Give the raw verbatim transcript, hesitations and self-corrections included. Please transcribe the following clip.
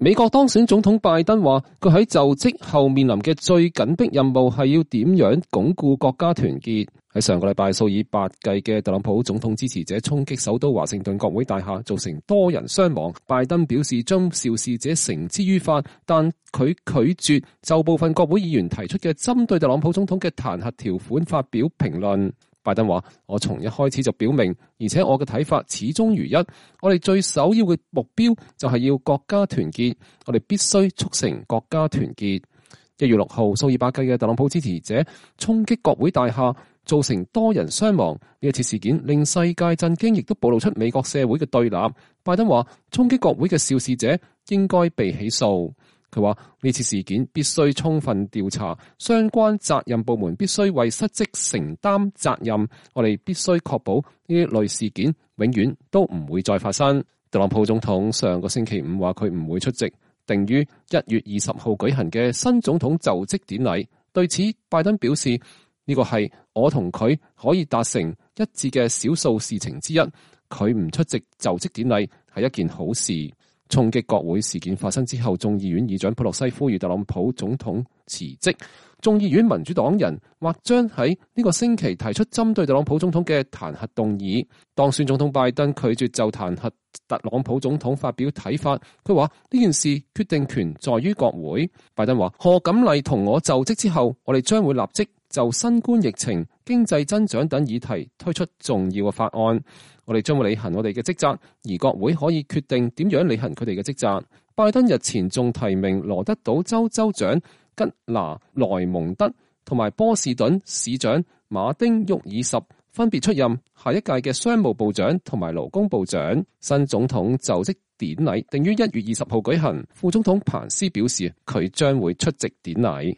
美國當選總統拜登話，佢喺就職後面臨嘅最緊迫任務係要點樣鞏固國家團結。喺上個禮拜，數以百計嘅特朗普總統支持者衝擊首都華盛頓國會大廈，造成多人傷亡。拜登表示將肇事者繩之於法，但佢拒絕就部分國會議員提出嘅針對特朗普總統嘅彈劾條款發表評論。拜登話：我從一開始就表明，而且我嘅睇法始終如一。我哋最首要嘅目標就係要國家團結，我哋必須促成國家團結。一月六號，數以百計嘅特朗普支持者衝擊國會大廈，造成多人傷亡。呢一次事件令世界震驚，亦都暴露出美國社會嘅對立。拜登話：衝擊國會嘅肇事者應該被起訴。佢話呢次事件必須充分調查，相關責任部門必須為失職承擔責任。我哋必須確保呢一類事件永遠都唔會再發生。特朗普總統上個星期五話佢唔會出席定於一月二十號舉行嘅新總統就職典禮。對此，拜登表示呢個係我同佢可以達成一致嘅少數事情之一。佢唔出席就職典禮係一件好事。衝擊國會事件發生之後，眾議院議長佩洛西呼籲特朗普總統辭職。眾議院民主黨人或將喺呢個星期提出針對特朗普總統嘅彈劾動議。當選總統拜登拒絕就彈劾特朗普總統發表睇法。佢話呢件事決定權在於國會。拜登話：賀錦麗同我就職之後，我哋將會立即就新冠疫情、經濟增長等議題推出重要嘅法案。我哋將會履行我哋嘅職責，而國會可以決定點樣履行佢哋嘅職責。拜登日前仲提名羅德島州州長吉拿萊蒙德同埋波士頓市長馬丁沃爾什分別出任下一屆嘅商務部長同埋勞工部長。新總統就職典禮定於一月二十號舉行。副總統彭斯表示，佢將會出席典禮。